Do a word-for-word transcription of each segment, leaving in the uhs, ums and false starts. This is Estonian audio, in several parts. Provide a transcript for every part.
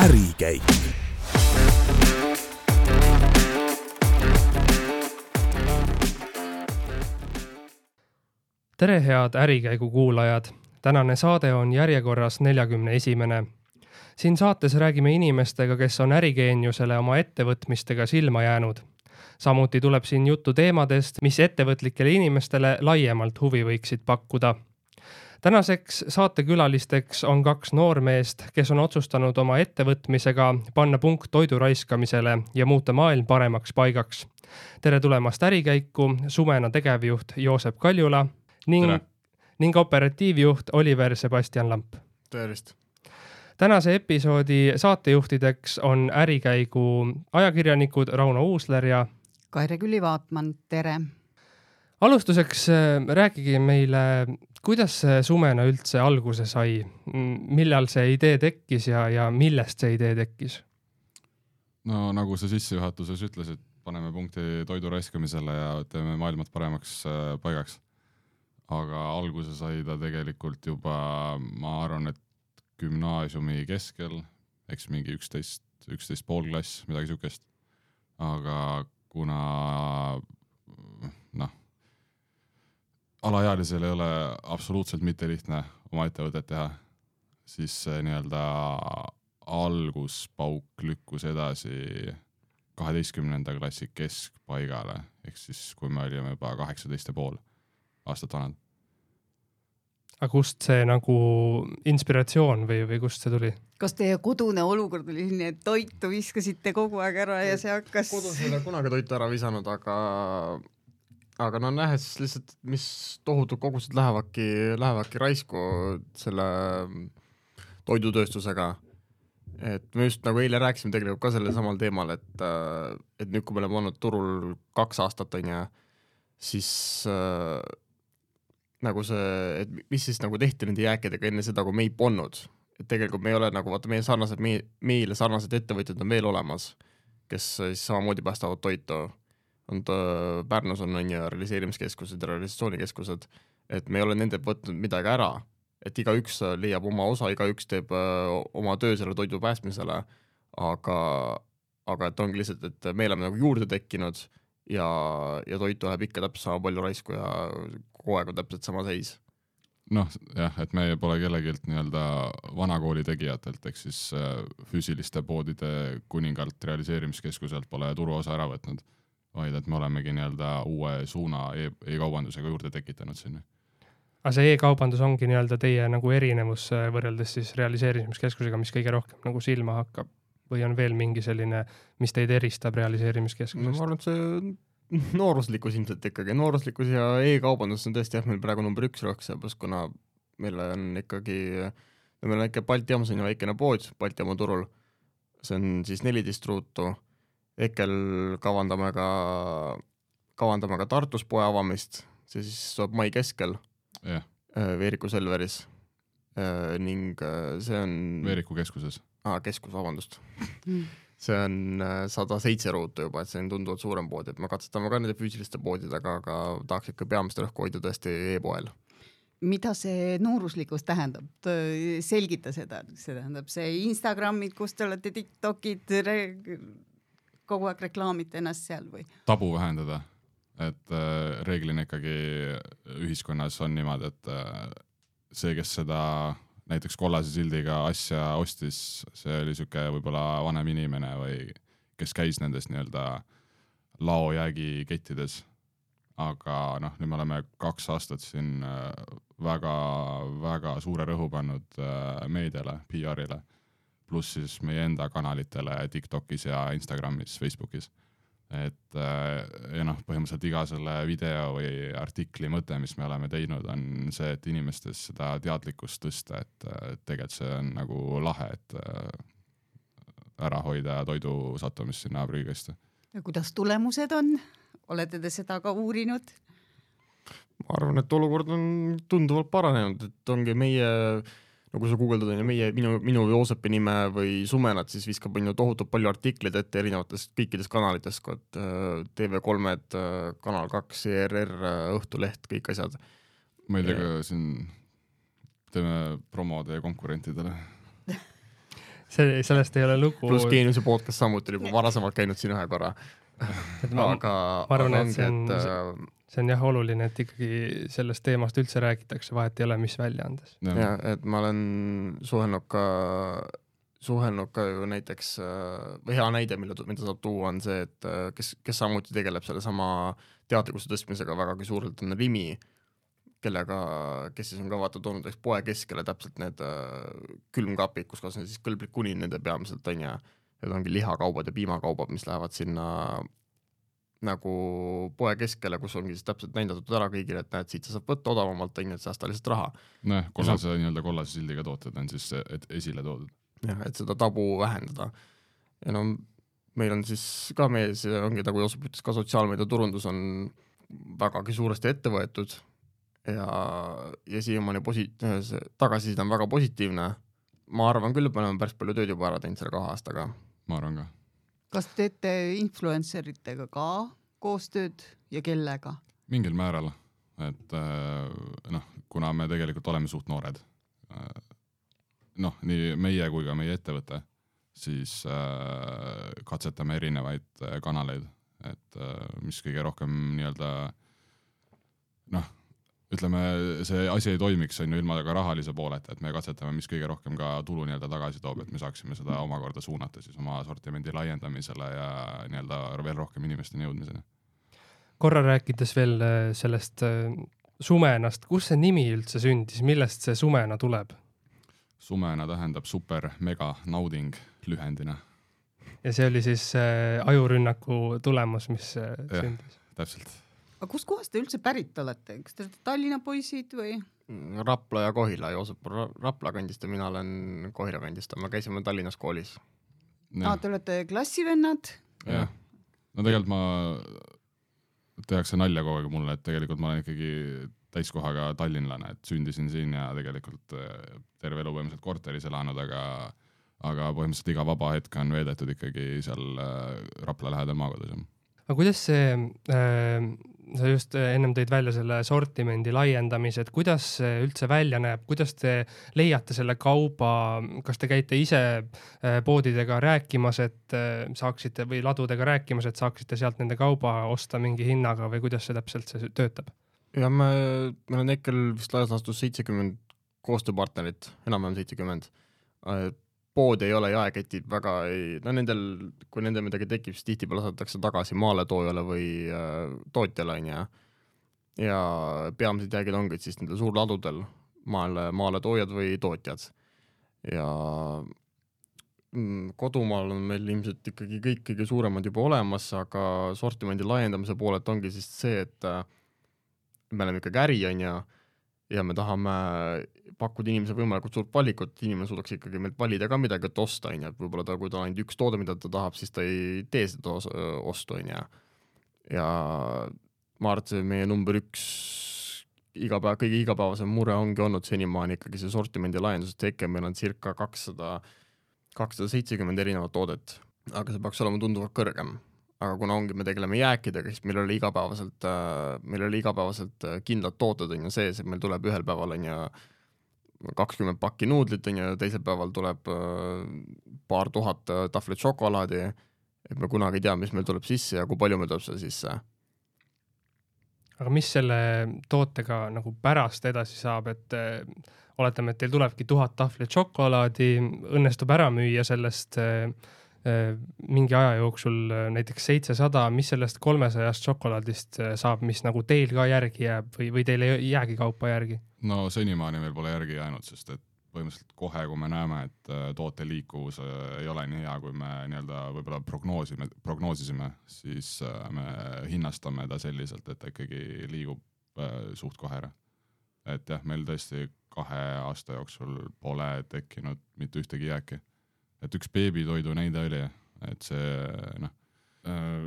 ärikäik. Tere head ärikäigu kuulajad! Tänane saade on järjekorras neljakümne esimene. Siin saates räägime inimestega, kes on ärigeeniusele oma ettevõtmistega silma jäänud. Samuti tuleb siin juttu teemadest, mis ettevõtlikele inimestele laiemalt huvi võiksid pakkuda. Tänaseks saatekülalisteks on kaks noormeest, kes on otsustanud oma ettevõtmisega panna punkt toidu raiskamisele ja muuta maailm paremaks paigaks. Tere tulemast ärikäiku, Sumena tegevjuht Joosep Kaljula ning, ning operatiivjuht Oliver Sebastian Lamp. Tervist! Tänase episoodi saatejuhtideks on ärikäigu ajakirjanikud Rauno Uusler ja Kaire Külli-Vaatman, tere! Alustuseks rääkige meile, kuidas see Sumena üldse alguse sai, millal see idee tekkis ja, ja millest see idee tekkis? No nagu sa sissejuhatuses ütlesid, paneme punkti toidu raiskamisele ja teeme maailmat paremaks paigaks. Aga alguse sai ta tegelikult juba, ma arvan, et gümnaasiumi keskel, eks mingi üksteist, üksteist pool klass, midagi sükest. Aga kuna noh, alaealisel ei ole absoluutselt mitte lihtne oma ettevõtet teha, siis see nii-öelda alguspauk lükkus edasi kaheteistkümnenda klassi keskpaigale, ehk siis kui me olime juba kaheksateist ja pool aastat vanad. Aga kust see nagu inspiratsioon või, või kust see tuli? Kas teie kodune olukord oli selline, et toitu viskasite kogu aeg ära ja see hakkas... Kodus ei ole kunagi toitu ära visanud, aga, aga no nähes lihtsalt, mis tohutud kogused lähevadki, lähevadki raisku selle toidutööstusega. Et me just nagu eile rääkisime tegelikult ka selle samal teemal, et, et nüüd kui me oleme olnud turul kaks aastat on ja siis äh, nagu see, et mis siis nagu tehti nende jääkidega enne seda, kui me ei polnud. Et tegelikult me ei ole nagu, vaata meie sarnased, me, meile sarnased ettevõtjad on veel olemas, kes siis samamoodi päästavad toitu. On ta, Pärnus on, on ja realiseerimiskeskused ja realisatsioonikeskused, et me ei ole nende võtnud midagi ära. Et iga üks leiab oma osa, iga üks teeb uh, oma töö selle toidu päästmisele, aga, aga et ongi lihtsalt, et me oleme nagu juurde tekkinud ja, ja toitu läheb ikka täpselt sama palju raisku ja kogu aeg on täpselt sama seis. Noh, jah, et me pole kellegilt nii-öelda vanakooli tegijatelt, ehk siis uh, füüsiliste poodide kuningalt realiseerimiskeskuselt pole turuosa ära võtnud, vaid et me olemegi nii-öelda uue suuna e- e-kaubandusega juurde tekitanud sinna. Aga see e-kaubandus ongi nii-öelda teie nagu erinevus võrreldes siis realiseerimiskeskusega, mis kõige rohkem nagu silma hakkab? Või on veel mingi selline, mis teid eristab realiseerimiskeskusest? No ma arvan, et see nooruslikkus ilmselt ikkagi. Nooruslikkus ja e-kaubandus on tõesti jah, meil praegu number üks rõhks, kuna meil on ikkagi, meil on ikka Balti jaamas on ju väikene pood Balti jaama turul. See on siis neliteist ruutu. Ekkel kavandame ka, kavandame ka Tartus poe avamist. See siis saab mai keskel. Yeah. Veeriku Selveris ning see on Veeriku keskuses ah, keskus, vabandust see on sada seitse ruutu juba, et see on tunduvalt suurem pood, et me katsetame ka nende füüsiliste poodidega, aga tahaks ikka peamist rõhku hoida tõesti e-poel. Mida see nooruslikkus tähendab? Selgita seda, see tähendab see Instagramid, kus te olete TikTokid, re- kogu aeg reklaamite ennast seal või? Tabu vähendada. Et äh, reeglina ikkagi ühiskonnas on niimoodi, et äh, see, kes seda näiteks kollase sildiga asja ostis, see oli süke võib-olla vanem inimene või kes käis nendes nii-öelda laojäägi kettides. Aga noh, nüüd me oleme kaks aastat siin äh, väga, väga suure rõhu pannud äh, meediale, P R-ile, pluss siis meie enda kanalitele TikTokis ja Instagramis, Facebookis. Et ja noh, põhimõtteliselt iga selle video või artikli mõte, mis me oleme teinud, on see, et inimestes seda teadlikkust tõsta, et tegelikult see on nagu lahe, et ära hoida toidu sattumist sinna prügikasti. Ja kuidas tulemused on? Olete te seda ka uurinud? Ma arvan, et olukord on tunduvalt paranenud, et ongi meie nagu sa guugeldad on ja meie, minu, minu Joosepi nime või Sumenat, siis viskab on ju tohutult palju artikleid ette erinevatest kõikidest kanalitest, kui T V kolm, Kanal kaks, E R R, Õhtuleht, kõik asjad. Ma ei tea, ka siin teeme promode konkurentidele. see, sellest ei ole lugu. Pluss Geeniuse podcast samuti juba varasemalt käinud siin ühe korra. ma, aga ma arvan, aga et see on, ongi, et, see on jah oluline, et ikkagi sellest teemast üldse räägitakse, vahet ei ole, mis väljaandes. Ja, et ma olen suhelnud ka, suhelnud ka ju näiteks, või hea näide, mida, mida saab tuua, on see, et kes, kes samuti tegeleb selle sama teadlikkuse tõstmisega vägagi suurelt, on Rimi, kellega, kes siis on ka vaata toonud poe keskele täpselt need külmkapid, kus kas on siis kõlblik kuni nende peamiselt on ja need ongi lihakaubad ja piimakaubad, mis lähevad sinna nagu poe keskele, kus ongi siis täpselt näidatud ära kõigile, et näed, siit sa saab võtta odavamalt, on, et säästa lihtsalt raha. Noh, kollase, nii-öelda kollase sildiga tooted on siis et esile toodud. Jah, et seda tabu vähendada. Ja no meil on siis ka meie, see ongi nagu Joosep ütles, ka sotsiaalmeedia turundus on vägagi suuresti ette võetud ja, ja siiamaani posi-, tagasiside on väga positiivne. Ma arvan küll, et me oleme päris palju tööd juba ära teinud selle kahe aastaga. Ma arvan ka. Kas teete influenceritega ka koostööd ja kellega? Mingil määral, et noh, kuna me tegelikult oleme suht noored, noh, nii meie kui ka meie ettevõte, siis katsetame erinevaid kanaleid, et mis kõige rohkem nii-öelda noh, ütleme, see asi ei toimiks on ju ilma ka rahalise pooleta, et me katsetame, mis kõige rohkem ka tulu nii-öelda tagasi toob, et me saaksime seda omakorda suunata siis oma sortimendi laiendamisele ja nii-öelda veel rohkem inimesteni jõudmiseni. Korra rääkides veel sellest sumenast, kus see nimi üldse sündis, millest see sumena tuleb? Sumena tähendab super, mega, nauding lühendina. Ja see oli siis ajurünnaku tulemus, mis sündis? Ja, täpselt. Aga kus kohast te üldse pärit olete? Kas te olete Tallinna poisid või? Rapla ja Kohila, Joosep Rapla kandist ja mina olen Kohila kandist, me käisime Tallinnas koolis. Ah, te olete klassivennad? Jah. No tegelikult ma tehakse nalja kogu aeg mulle, et tegelikult ma olen ikkagi täiskohaga tallinlane, et sündisin siin ja tegelikult terve elu põhimõtteliselt korteris elanud, aga, aga põhimõtteliselt iga vaba hetk on veedetud ikkagi seal Rapla lähedal maakodus. Aga kuidas see, äh, sa just ennem tõid välja selle sortimendi laiendamise, et kuidas see üldse välja näeb, kuidas te leiate selle kauba, kas te käite ise äh, poodidega rääkimas, et äh, saaksite või ladudega rääkimas, et saaksite sealt nende kauba osta mingi hinnaga või kuidas see täpselt see töötab? Ja me, meil on hetkel vist laias laastus seitsekümmend koostööpartnerit, enam-vähem seitsekümmend. Pood ei ole jaeketid väga ei, no nendel, kui nendel midagi tekib, siis tihtipeale saadetakse tagasi maaletoojale või äh, tootjale on ja, ja peamised jäägid ongi siis nendel suurladudel maale, maaletoojad või tootjad. Ja mm, kodumaal on meil ilmselt ikkagi kõik kõige suuremad juba olemas, aga sortimendi laiendamise poolelt ongi siis see, et äh, me oleme ikkagi äri on ja, ja me tahame pakkuda inimese võimalikult suurt valikut, inimene suudaks ikkagi meilt valida ka midagi, et osta, on ja võib-olla ta, kui ta on ainult üks toode, mida ta tahab, siis ta ei tee seda ostu, on ja. Ja ma arvan, et see meie number üks igapäev, kõige igapäevasem mure ongi olnud senimaani ikkagi see sortimendi laiendusest teke, meil on circa kakssada, kakssada seitsekümmend erinevat toodet, aga see peaks olema tunduvalt kõrgem. Aga kuna ongi, me tegeleme jääkidega, siis meil oli igapäevaselt, meil oli igapäevaselt kindlad tooted on ja sees, et meil tuleb ühel päeval on ja kakskümmend pakki nuudlit on ja teisel päeval tuleb paar tuhat tahvlit šokolaadi, et me kunagi ei tea, mis meil tuleb sisse ja kui palju meil tuleb seda sisse. Aga mis selle tootega nagu pärast edasi saab, et oletame, et teil tulebki tuhat tahvlit šokolaadi, õnnestub ära müüa sellest mingi aja jooksul näiteks seitsesada, mis sellest kolmesajast šokolaadist saab, mis nagu teil ka järgi jääb või, või teil ei jäägi kaupa järgi? No senimaani meil pole järgi jäänud, sest et põhimõtteliselt kohe, kui me näeme, et toote liikuvus ei ole nii hea, kui me nii-öelda võib-olla prognoosime, prognoosisime, siis me hinnastame ta selliselt, et ta ikkagi liigub suht kohe ära. Et jah, meil tõesti kahe aasta jooksul pole tekkinud mitte ühtegi jääki. Et üks beebitoidu näide oli, et see, noh,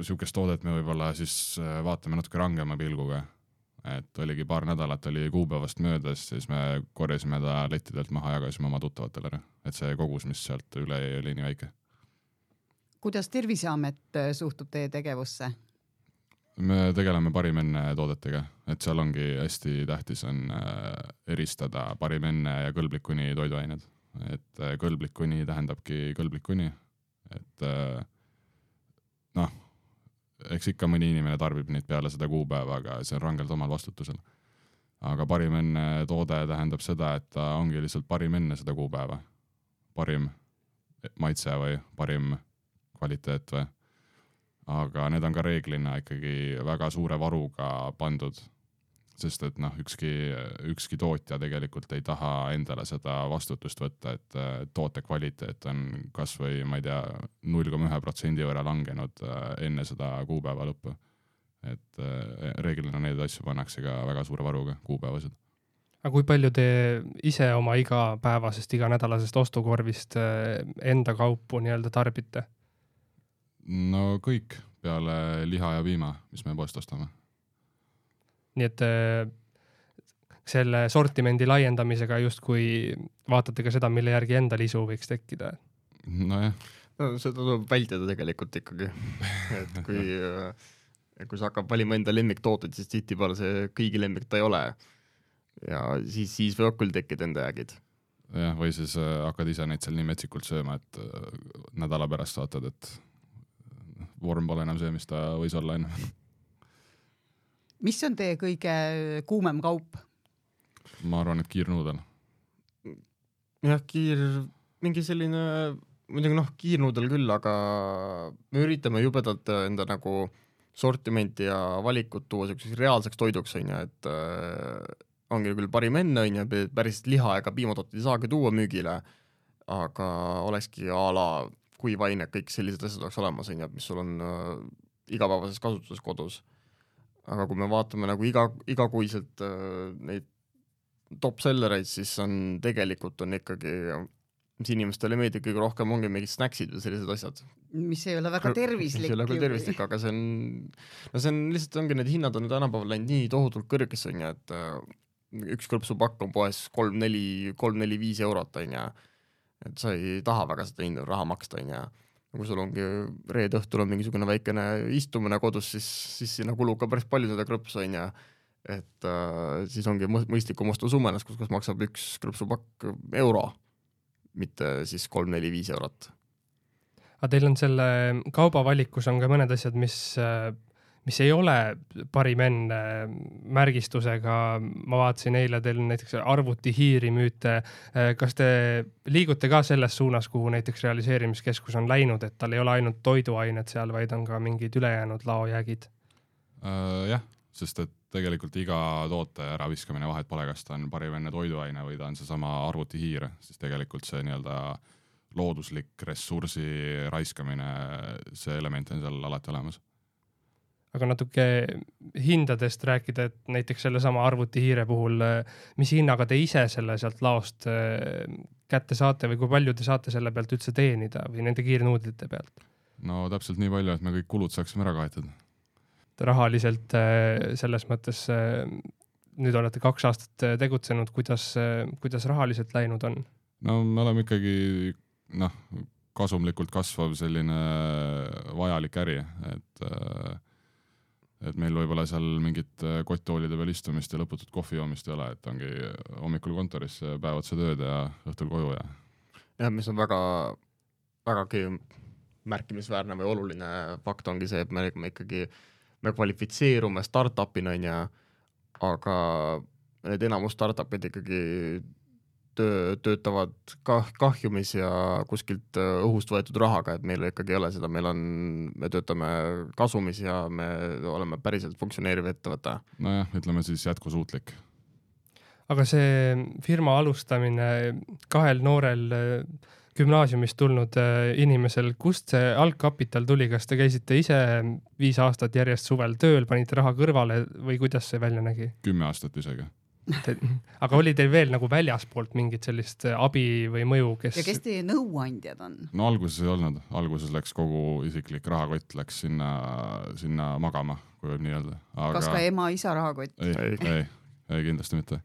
sihukest toodet me võib-olla siis vaatame natuke rangema pilguga, et oligi paar nädalat oli kuupäevast möödas, siis me korjasime ta lettidelt maha, jagasime oma tuttavatele, et see kogus, mis sealt üle oli nii väike. Kuidas Terviseamet suhtub teie tegevusse? Me tegeleme parim enne toodetega, et seal ongi hästi tähtis on eristada parim enne ja kõlblikuni toiduained. et kõlblik kuni tähendabki kõlblik kuni, et noh, eks ikka mõni inimene tarbib neid peale seda kuupäeva, aga see on rangelt omal vastutusel. Aga parim enne toode tähendab seda, et ta ongi lihtsalt parim enne seda kuupäeva. Parim maitse või parim kvaliteet või. Aga need on ka reeglina ikkagi väga suure varuga pandud, sest et noh, ükski, ükski tootja tegelikult ei taha endale seda vastutust võtta, et toote kvaliteet on kas või, ma ei tea, null koma üks protsendi võrra langenud enne seda kuupäeva lõppu. Et reeglina neid asju pannakse ka väga suure varuga kuupäevased. Aga kui palju te ise oma igapäevasest, iganädalasest ostukorvist enda kaupu nii-öelda tarbite? No kõik peale liha ja piima, mis me poest ostame. Nii et selle sortimendi laiendamisega just kui vaatate ka seda, mille järgi enda lisu võiks tekkida? No jah. No, seda tuleb vältida tegelikult ikkagi. Et kui, kui sa hakkab valima enda lemmiktooted, siis tihtipeale see kõigi lemmik ta ei ole. Ja siis, siis võivad küll tekkida enda jäägid. Jah, või siis hakkad ise neid seal nii metsikult sööma, et nädala pärast saatad, et vorm pole enam see, mis ta võis olla enne. Mis on teie kõige kuumem kaup? Ma arvan, et kiirnuudel. Jah, kiir, mingi selline, muidugi noh, kiirnuudel küll, aga me üritame jubedalt enda nagu sortimenti ja valikut tuua selliseks reaalseks toiduks, on ja, et äh, ongi küll parim enne, on ja, päris liha ega piimatooted ei saagi tuua müügile, aga olekski a la kuivaine, kõik sellised asjad oleks olemas, on ja, mis sul on äh, igapäevases kasutuses kodus. Aga kui me vaatame nagu iga, igakuiselt äh, neid top-sellereid, siis on tegelikult on ikkagi, mis inimestele meeldib kõige rohkem, ongi mingid snacksid või sellised asjad. Mis ei ole väga tervislik. Mis ei ole küll tervislik, aga see on, no see on lihtsalt ongi, need hinnad on tänapäeval läinud nii tohutult kõrgesse, on ja, et äh, üks kõrpsupakk on poes kolm neli viis eurot, on ja, et sa ei taha väga seda hinda raha maksta, on ja, kui sul ongi reede õhtul on mingisugune väikene istumine kodus, siis, siis sinna kulub ka päris palju seda krõpsu, on ja, et äh, siis ongi mõistlikum osta sumenas, kus, kus maksab üks krõpsupakk euro, mitte siis kolm neli viis eurot. Aga teil on selle kaubavalikus on ka mõned asjad, mis, mis ei ole parim enne märgistusega. Ma vaatasin eile, teil näiteks arvuti hiiri müüte. Kas te liigute ka selles suunas, kuhu näiteks realiseerimiskeskus on läinud, et tal ei ole ainult toiduained seal, vaid on ka mingid ülejäänud laojäägid? Uh, jah, sest et tegelikult iga toote äraviskamine vahet pole, kas ta on parim enne toiduaine või ta on seesama arvuti hiir, siis tegelikult see nii-öelda looduslik ressursi raiskamine, see element on seal alati olemas. Aga natuke hindadest rääkida, et näiteks selle sama arvuti hiire puhul, mis hinnaga te ise selle sealt laost kätte saate või kui palju te saate selle pealt üldse teenida või nende kiirnuudlite pealt? No täpselt nii palju, et me kõik kulud saaksime ära kaetud. Rahaliselt selles mõttes, nüüd olete kaks aastat tegutsenud, kuidas, kuidas rahaliselt läinud on? No me oleme ikkagi noh, kasumlikult kasvav selline vajalik äri, et, et meil võib-olla seal mingit kotttoolide peal istumist ja lõputut kohvijoomist ei ole, et ongi hommikul kontoris päev otsa tööd ja õhtul koju. Ja, ja mis on väga, väga märkimisväärne või oluline fakt ongi see, et me, me ikkagi me kvalifitseerume startupina, aga need enamus startupid ikkagi töö, töötavad kah, kahjumis ja kuskilt õhust võetud rahaga, et meil ikkagi ei ole seda, meil on, me töötame kasumis ja me oleme päriselt funktsioneeriv ettevõte. Nojah, ütleme siis jätkusuutlik. Aga see firma alustamine kahel noorel gümnaasiumist tulnud inimesel, kust see algkapital tuli, kas te käisite ise viis aastat järjest suvel tööl, panite raha kõrvale või kuidas see välja nägi? Kümme aastat isegi. Aga oli teil veel nagu väljaspoolt mingit sellist abi või mõju, kes... Ja kes teie nõuandjad on? No alguses ei olnud. Alguses läks kogu isiklik rahakott, läks sinna, sinna magama, kui võib nii öelda. Aga... Kas ka ema, isa rahakott? Ei, ei, ei, ei, kindlasti mitte.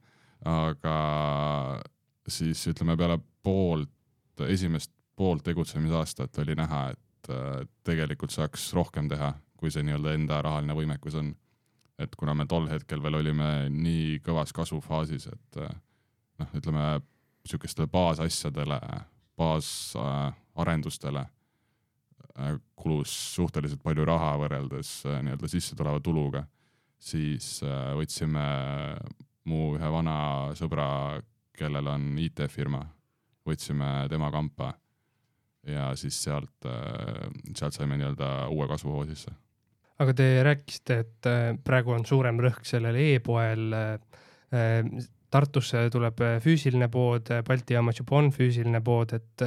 Aga siis ütleme peale poolt esimest poolt tegutsemisaastat oli näha, et tegelikult saaks rohkem teha, kui see nii-öelda enda rahaline võimekus on. Et kuna me tol hetkel veel olime nii kõvas kasvufaasis, et noh, ütleme niisugustele baasasjadele, baasarendustele äh, kulus suhteliselt palju raha võrreldes äh, nii-öelda sisse tuleva tuluga, siis äh, võtsime mu ühe vana sõbra, kellel on I T-firma, võtsime tema kampa ja siis sealt, sealt saime nii-öelda uue kasvuhoo sisse. Aga te rääkisite, et praegu on suurem rõhk sellel e-poel. Tartusse tuleb füüsiline pood, Balti jaamas juba on füüsiline pood, et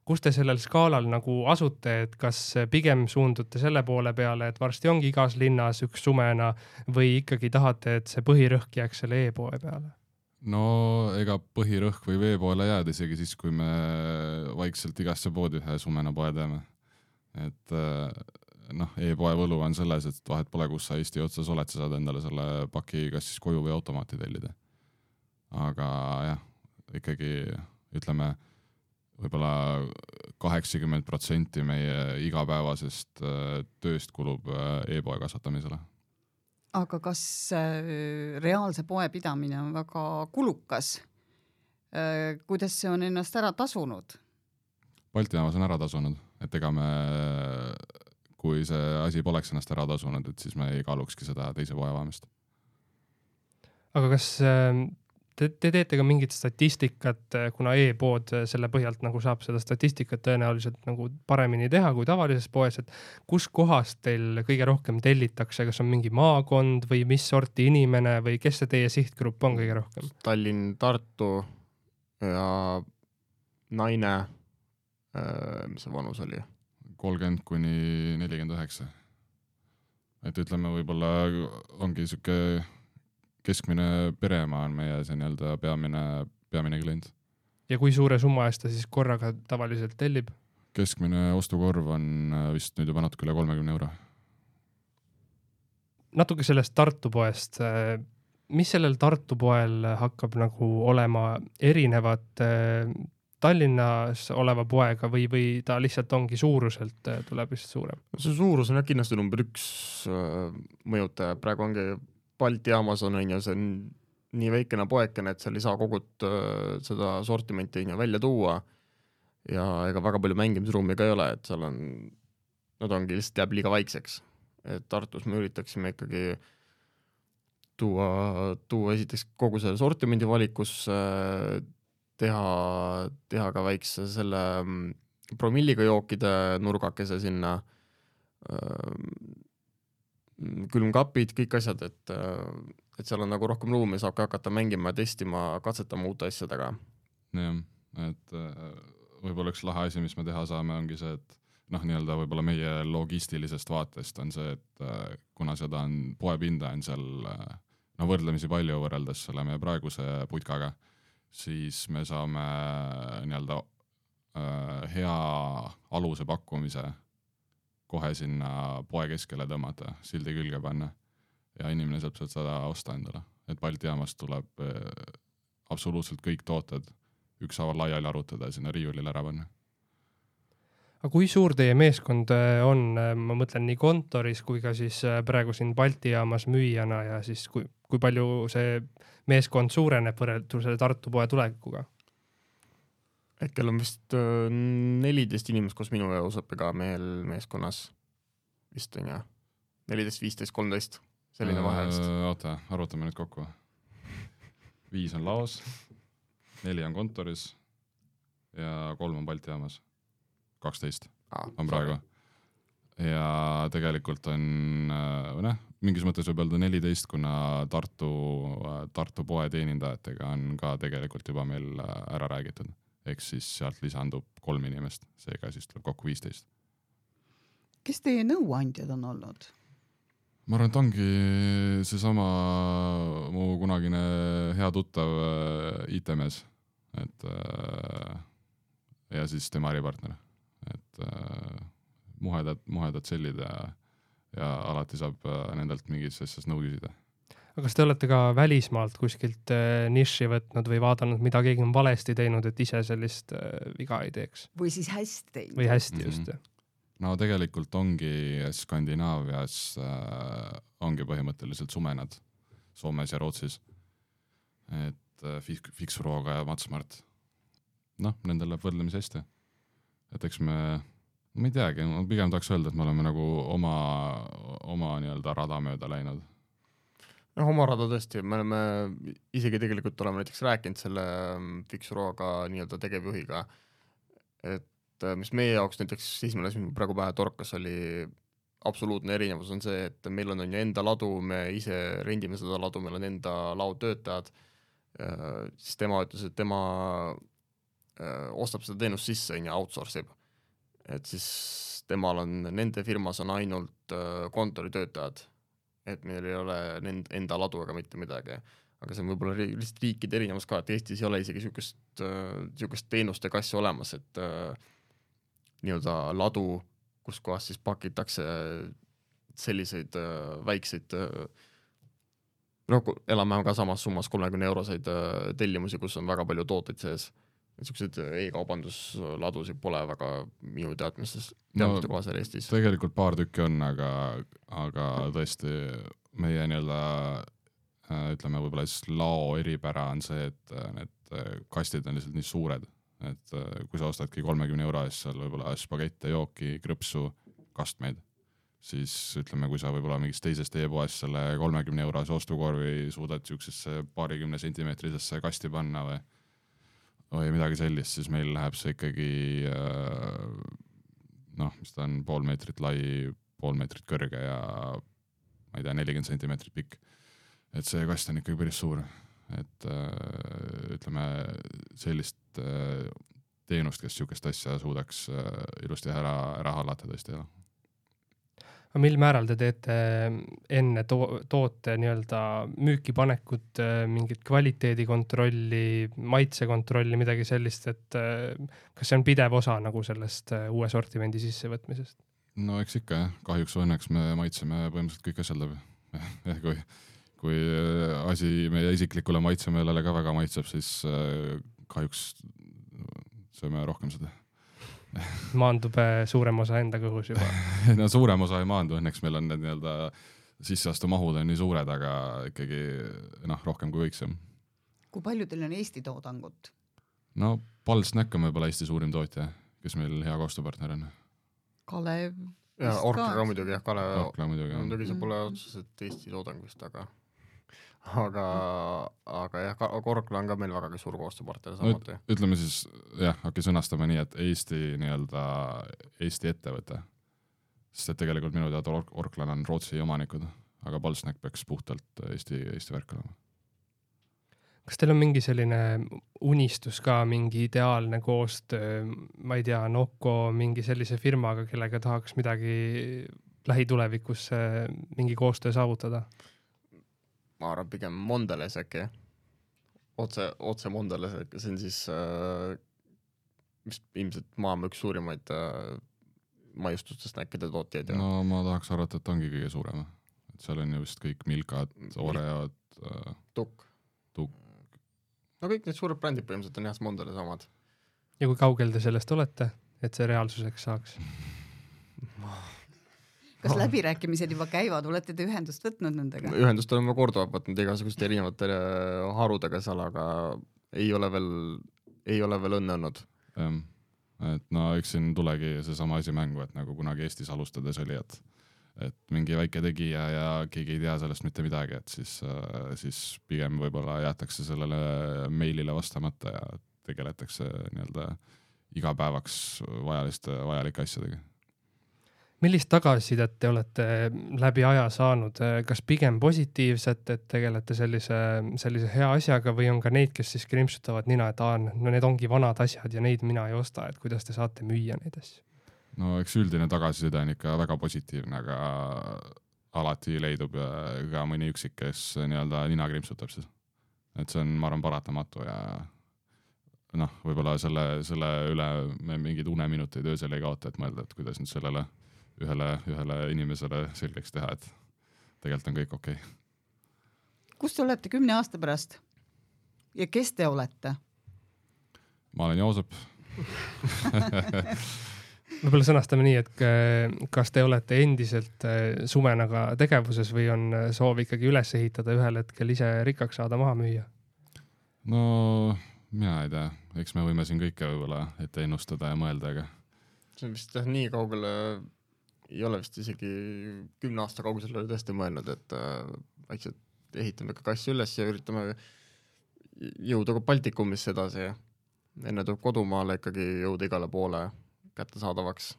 kus te sellel skaalal nagu asute, et kas pigem suundute selle poole peale, et varsti ongi igas linnas üks sumena või ikkagi tahate, et see põhirõhk jääks selle e-poe peale? No ega põhirõhk või veepoole jääd isegi siis, kui me vaikselt igasse poodi ühe sumena poe teeme. Et noh, e-poe võlu on selles, et vahet pole, kus sa Eesti otsas oled, sa saad endale selle paki kas siis koju või automaati tellida. Aga jah, ikkagi ütleme, võib-olla kaheksakümmend protsenti meie igapäevasest tööst kulub e-poe kasvatamisele. Aga kas reaalse poe pidamine on väga kulukas? Kuidas see on ennast ära tasunud? Balti jaamas on ära tasunud, et ega me, kui see asi poleks ennast ära tasunud, et siis me ei kaalukski seda teise poe avamist. Aga kas te, te teete ka mingit statistikat, kuna e-pood selle põhjalt nagu saab seda statistikat tõenäoliselt nagu paremini teha kui tavalises poes, et kus kohast teil kõige rohkem tellitakse, kas on mingi maakond või mis sorti inimene või kes see teie sihtgrupp on kõige rohkem? Tallinn, Tartu ja naine, mis see vanus oli? kolmkümmend kuni nelikümmend üheksa. Et ütleme, võib-olla ongi siuke keskmine peremaa on meie see nii-öelda peamine, peamine klient. Ja kui suure summa eest ta siis korraga tavaliselt tellib? Keskmine ostukorv on vist nüüd juba natuke üle kolmekümne euro. Natuke sellest Tartu poest. Mis sellel Tartu poel hakkab nagu olema erinevat Tallinnas oleva poega või, või ta lihtsalt ongi suuruselt tuleb vist suurem? See suurus on kindlasti number üks mõjutaja. Praegu ongi Balti jaamas on, on see on nii väikene poekene, et seal ei saa kogut seda sortimenti välja tuua ja ega väga palju mängimisruumi ka ei ole, et seal on, nad ongi lihtsalt jääb liiga vaikseks. Et Tartus me üritaksime ikkagi tuua, tuua esiteks kogu selle sortimendi valikus, teha, teha ka väikse selle promilliga jookide nurgakese sinna, külmkapid, kõik asjad, et, et seal on nagu rohkem ruumi, saab ka hakata mängima, testima, katsetama uute asjadega. Jah, et võib-olla üks lahe asi, mis me teha saame, ongi see, et noh, nii-öelda võib-olla meie logistilisest vaatest on see, et kuna seda on poepinda on seal no, võrdlemisi palju võrreldes selle meie praeguse putkaga, siis me saame nii-öelda hea aluse pakkumise kohe sinna poe keskele tõmmata, sildi külge panna ja inimene saab seda osta endale. Et Balti jaamast tuleb absoluutselt kõik tooted ükshaaval laiali arutada ja sinna riiulile ära panna. Aga kui suur teie meeskond on, ma mõtlen nii kontoris kui ka siis praegu siin Balti jaamas müüjana ja siis kui, kui palju see meeskond suureneb võrreldes selle Tartu poe tulekuga? Hetkel on vist neliteist inimest koos minu ja Uusõppiga mehel meeskonnas. Vist on ja neliteist, viisteist, kolmteist. Selline vahe vist. Oota, arvutame nüüd kokku. Viis on laos, neli on kontoris ja kolm on Balti jaamas. kaksteist ah, on praegu. Ja tegelikult on, ne, mingis mõttes võib öelda neliteist, kuna Tartu, Tartu poe teenindajatega on ka tegelikult juba meil ära räägitud. Eks siis sealt lisandub kolm inimest, seega siis tuleb kokku viisteist. Kes teie nõuandjad on olnud? Ma arvan, et ongi seesama mu kunagine hea tuttav I T-mees, et ja siis tema äripartner, et muhedad, muhedad sellid ja, ja alati saab nendelt mingis asjas nõu küsida. Aga kas te olete ka välismaalt kuskilt niši võtnud või vaadanud, mida keegi on valesti teinud, et ise sellist viga ei teeks? Või siis hästi teinud? Või hästi just. Mm-hmm. No tegelikult ongi Skandinaavias äh, ongi põhimõtteliselt sumenad Soomes ja Rootsis. Et äh, Fixuroga ja Matsmart noh, nendel läheb võrdlemisi hästi. Et eks me, ma ei teagi, ma pigem tahaks öelda, et me oleme nagu oma, oma nii-öelda rada mööda läinud. noh, oma rada tõesti, me oleme isegi tegelikult oleme näiteks rääkinud selle Fixuroga nii-öelda tegevjuhiga, et mis meie jaoks näiteks esimene asi, mis praegu pähe torkas, oli absoluutne erinevus on see, et meil on, on ju enda ladu, me ise rendime seda ladu, meil on enda laotöötajad, siis tema ütles, et tema ostab seda teenust sisse ja outsource ib. Et siis temal on, nende firmas on ainult kontoritöötajad, et meil ei ole enda ladu ega mitte midagi. Aga see on võib-olla lihtsalt riikide erinevus ka, et Eestis ei ole isegi sükest, sükest teenuste kassi olemas, et nii-öelda ladu, kus kohas siis pakitakse selliseid väikseid, no elame ka samas summas kolmekümne euroseid tellimusi, kus on väga palju tooteid sees. Niisugused e-kaubandusladusid pole väga minu teadmistes teadmiste no, kohas Eestis. Tegelikult paar tükki on, aga, aga tõesti meie nii-öelda ütleme võib-olla siis lao eripära on see, et need kastid on lihtsalt nii suured, et kui sa ostadki kolmekümne euro eest seal võib-olla spagette, jooki, krõpsu, kastmeid, siis ütleme, kui sa võib-olla mingist teisest e-poest selle kolmekümne eurose ostukorvi suudad siuksesse paarikümne sentimeetrisesse kasti panna või või midagi sellist, siis meil läheb see ikkagi noh, mis ta on pool meetrit lai, pool meetrit kõrge ja ma ei tea, nelikümmend sentimeetrit pikk. Et see kast on ikkagi päris suur. Et ütleme sellist teenust, kes siukest asja suudaks ilusti ära, ära hallata tõesti. Aga mil määral te teete enne to- toote nii-öelda müükipanekut, mingit kvaliteedikontrolli, maitsekontrolli, midagi sellist, et kas see on pidev osa nagu sellest uue sortimendi sissevõtmisest? No eks ikka, jah. Kahjuks õnneks me maitseme põhimõtteliselt kõik asjad läbi. kui, kui asi meie isiklikule maitsemeelele ka väga maitseb, siis kahjuks sööme rohkem seda. Maandub suurem osa enda kõhus juba. No suurem osa ei maandu, õnneks meil on need nii-öelda sisseastu mahud on nii suured, aga ikkagi noh, rohkem kui võiks. Kui palju teil on Eesti toodangut? No Palsnäkk on võib-olla Eesti suurim tootja, kes meil hea koostööpartner on. Kalev. Ja Orkla ka muidugi, jah, Kalev. Orkla muidugi, jah. Muidugi see pole otseselt Eesti toodang vist, aga aga, aga jah, Orkla on ka meil väga suur koostööpartner samuti. No, ütleme siis, jah, hakki sõnastama nii, et Eesti nii-öelda Eesti ettevõte, sest et tegelikult minu teada Orklan on Rootsi omanikud, aga Palsnäkk peaks puhtalt Eesti, Eesti värk olema. Kas teil on mingi selline unistus ka, mingi ideaalne koostöö, ma ei tea, Noko, mingi sellise firmaga, kellega tahaks midagi lähitulevikus mingi koostöö saavutada? Ma arvan pigem Mondelez äkki, otse, otse Mondelez, see on siis äh, mis ilmselt maailma üks suurimaid äh, maiustustest näkkide tootjaid. No ma tahaks arvata, et ongi kõige suurem. Et seal on ju vist kõik Milkad, Oreod, äh, Tukk. Tukk. No kõik need suured brändid põhimõtteliselt on jah Mondelez omad. Ja kui kaugel te sellest olete, et see reaalsuseks saaks? Kas läbirääkimised juba käivad, olete te ühendust võtnud nendega? Ühendust oleme korduvalt võtnud igasuguste erinevate harudega seal, aga ei ole veel, ei ole veel õnne olnud. Et no eks siin tulegi see sama asi mängu, et nagu kunagi Eestis alustades oli, et, et mingi väike tegija ja keegi ei tea sellest mitte midagi, et siis, siis pigem võib-olla jäetakse sellele meilile vastamata ja tegeletakse nii-öelda igapäevaks vajaliste, vajalike asjadega. Millist tagasisidet te olete läbi aja saanud? Kas pigem positiivset, et tegelete sellise, sellise hea asjaga või on ka neid, kes siis krimpsutavad nina, et aa, no need ongi vanad asjad ja neid mina ei osta, et kuidas te saate müüa neid asju? No eks üldine tagasiside on ikka väga positiivne, aga alati leidub ka mõni üksik, kes nii-öelda nina krimpsutab siis. Et see on, ma arvan, paratamatu ja noh, võib-olla selle, selle üle me mingid uneminuteid öösel ei kaota, et mõelda, et kuidas nüüd sellele ühele, ühele inimesele selgeks teha, et tegelikult on kõik okei. Okay. Kus te olete kümne aasta pärast? Ja kes te olete? Ma olen Joosep. Võib-olla sõnastame nii, et kas te olete endiselt Sumenaga tegevuses või on soov ikkagi üles ehitada ühel hetkel ise rikkaks saada maha müüa? No mina ei tea, eks me võime siin kõike võib-olla ette ennustada ja mõelda, aga see on vist jah, nii kaugele ei ole vist isegi kümne aasta kaugusel tõesti mõelnud, et äh, vaikselt ehitame ka kassi üles ja üritame jõuda ka Baltikumisse edasi ja enne tuleb kodumaale ikkagi jõuda igale poole kättesaadavaks.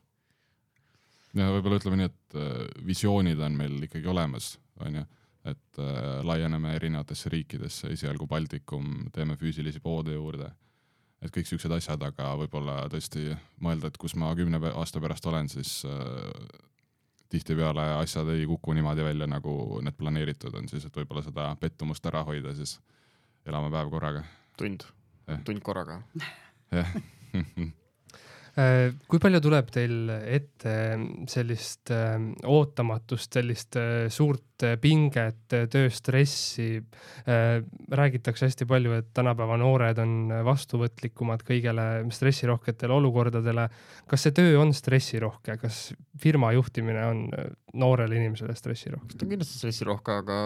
ja võib-olla ütleme nii, et äh, visioonid on meil ikkagi olemas, on ju, et äh, laieneme erinevatesse riikidesse, esialgu Baltikum, teeme füüsilisi poode juurde, et kõik siuksed asjad, aga võib-olla tõesti mõelda, et kus ma kümne aasta pärast olen, siis äh, tihtipeale asjad ei kuku niimoodi välja, nagu need planeeritud on, siis et võib-olla seda pettumust ära hoida, siis elame päev korraga. Tund, eh. tund korraga. jah. Kui palju tuleb teil ette sellist ootamatust, sellist suurt pinget, tööstressi? Räägitakse hästi palju, et tänapäeva noored on vastuvõtlikumad kõigele stressirohketele olukordadele. Kas see töö on stressirohke? Kas firma juhtimine on noorele inimesele stressirohke? Ta on kindlasti stressirohke, aga